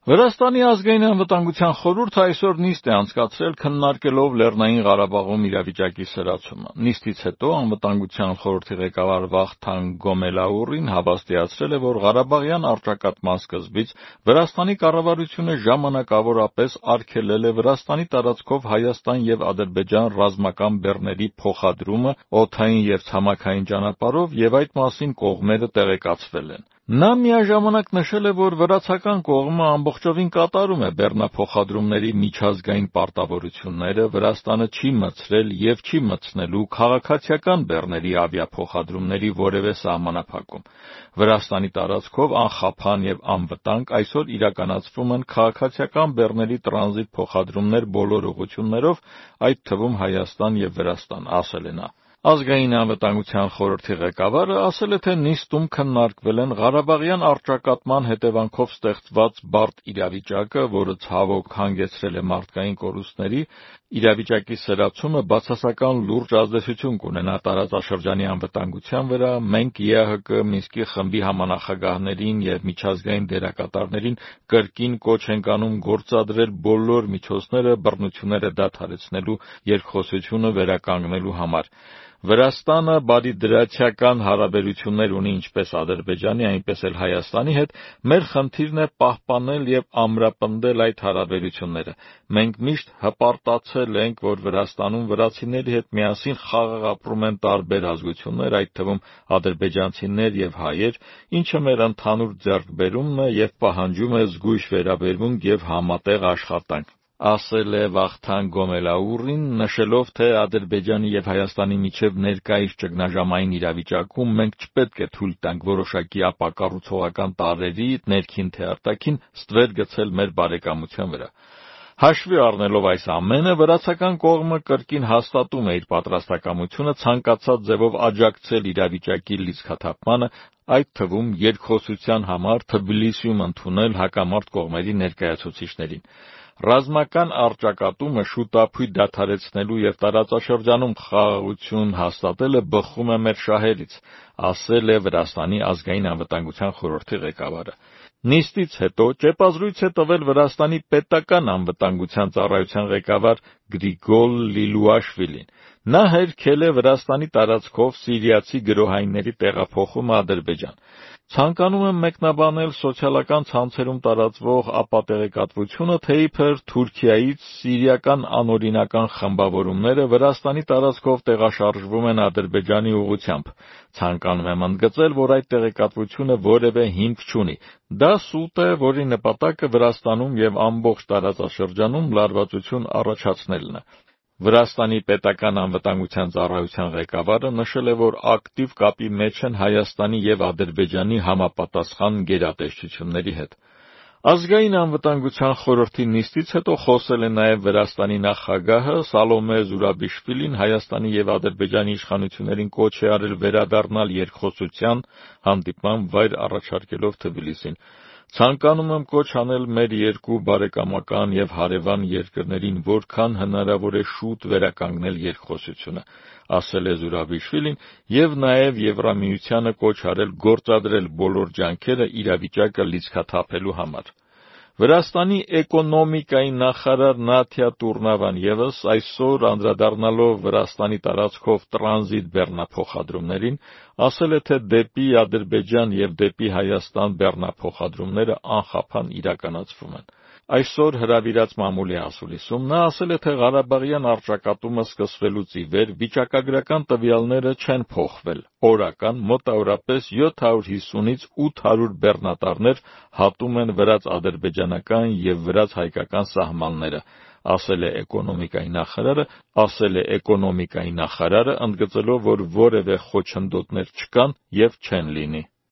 Վրաստանի ազգային անվտանգության խորհուրդը այսօր նիստ է անցկացրել քննարկելով Լեռնային Ղարաբաղում իրավիճակի սրացումը։ Նիստից հետո անվտանգության խորհրդի ղեկավար Վախթանգ Գոմելաուռին հավաստիացրել է, որ Ղարաբաղյան առճակատման սկզբից Վրաստանի կառավարությունը ժամանակավորապես արգելել է Վրաստանի տարածքով Հայաստան և Ադրբեջան ռազմական բեռների փոխադրումը օդային և ցամաքային ճանապարհով և այդ մասին կողմերը տեղեկացվել են։ Նա միաժամանակ նշել է, որ վրացական կողմը ամբողջովին կատարում է բեռնափոխադրումների միջազգային պարտավորությունները, Վրաստանը չի մտցրել և չի մտցնելու քաղաքացիական բեռների ավիափոխադրումների որևէ սահմանափակում։ Վրաստանի տարածքով անխափան և անվտանգ այսօր իրականացվում են քաղաքացիական բեռների տրանզիտ փոխադրումներ բոլոր ուղղություններով, այդ թվում Հայաստան և Վրաստան, ասել է նա։ Ազգային անվտանգության խորհրդի ղեկավարը ասել է, թե նիստում քննարկվել են Ղարաբաղյան առճակատման հետևանքով ստեղծված բարդ իրավիճակը, որը ցավոք հանգեցրել է մարդկային կորուստների, իրավիճակի սրացումը բացասական լուրջ ազդեցություն կունենա տարածաշրջանի անվտանգության վրա, մենք ԵԱՀԿ Մինսկի խմբի համանախագահներին և միջազգային դերակատարներին կրկին կոչ ենք անում գործադրել բոլոր միջոցները բռնությունները դադարեցնելու երկխոսությունը վերականգնելու համար։ Վրաստանը բարիդրացիական հարաբերություններ ունի ինչպես Ադրբեջանի, այնպես էլ Հայաստանի հետ, մեր խնդիրն է պահպանել և ամրապնդել այդ հարաբերությունները։ Մենք միշտ հպարտացել ենք, որ Վրաստանում վրացիների հետ միասին խաղաղ ապրում են տարբեր ազգություններ, այդ թվում ադրբեջանցիներ և հայեր, ինչը մեր ընդհանուր ձեռքբերումն է և պահանջում է զգույշ վերաբերմունք և համատեղ աշխատանք, ասել է Վախթանգ Գոմելաուռին, նշելով, թե Ադրբեջանի և Հայաստանի միջև ներկայիս ճգնաժամային իրավիճակում մենք չպետք է թույլ տանք որոշակի ապակառուցողական տարրերի, ներքին թե արտաքին, ստվեր գցել մեր բարեկամության վրա։ Հաշվի առնելով այս ամենը, վրացական կողմը կրկին հաստատում է իր պատրաստակամությունը ցանկացած ձևով աջակցել իրավիճակի լիցքաթափմանը, այդ թվում երկխոսության համար Թբիլիսիում ընդունել հակամարտ կողմերի ներկայացուցիչներին։ Ռազմական առճակատումը շուտափույթ դադարեցնելու և տարածաշրջանում խաղաղություն հաստատելը բխում է մեր շահերից, ասել է Վրաստանի ազգային անվտանգության խորհրդի ղեկավարը։ Նիստից հետո ճեպազրույց է տվել Վրաստանի պետական անվտանգության ծառայության ղեկավար Գրիգոլ Լիլուաշվիլին։ Նա հերքել է Վրաստանի տարածքով սիրիացի գրոհայինների տեղափոխումը Ադրբեջան։ Ցանկանում եմ մեկնաբանել սոցիալական ցանցերում տարածվող ապատեղեկատվությունը, թե իբր Թուրքիայից սիրիական անօրինական խմբավորումները Վրաստանի տարածքով տեղաշարժվում են Ադրբեջանի ուղղությամբ։ Ցանկանում եմ ընդգծել, որ այդ տեղեկատվությունը որևէ հիմք չունի։ Դա սուտ է, որի նպատակը Վրաստանում և ամբողջ տարածաշրջանում լարվածություն առաջացնելն է։ Վրաստանի պետական անվտանգության ծառայության ղեկավարը նշել է, որ ակտիվ կապի մեջ են Հայաստանի և Ադրբեջանի համապատասխան գերատեսչությունների հետ։ Ազգային անվտանգության խորհրդի նիստից հետո խոսել է նաև Վրաստանի նախագահը Սալոմե Զուրաբիշվիլին Հայաստանի և Ադրբեջանի իշխանություններին կոչ է արել վերադառնալ երկխոսության, հանդիպման վայր առաջարկելով Թբիլիսին։ Ցանկանում եմ կոչ անել մեր երկու բարեկամական և հարևան երկրներին որքան հնարավոր է շուտ վերականգնել երկխոսությունը, ասել է Զուրաբիշվիլին և նաև Եվրամիությանը կոչ արել գործադրել բոլոր ջանքերը իրավիճակը լիցքաթափելու համար։ Վրաստանի էկոնոմիկայի նախարար Նաթիա Տուրնավան ևս այսօր անդրադառնալով Վրաստանի տարածքով տրանզիտ բեռնափոխադրումներին, ասել է, թե դեպի Ադրբեջան և դեպի Հայաստան բեռնափոխադրումները անխափան իրականացվում են։ Այսօր հրավիրած մամուլի ասուլիսում նա ասել է, թե Ղարաբաղյան առճակատումը սկսվելուց ի վեր վիճակագրական տվյալները չեն փոխվել։ Օրական մոտավորապես 750-ից 800 բեռնատարներ հատում են վրաց-ադրբեջանական և վրաց-հայկական սահմանները, ասել է էկոնոմիկայի նախարարը, ընդգծելով, որ որևէ խոչընդոտներ չկան և չեն լինի։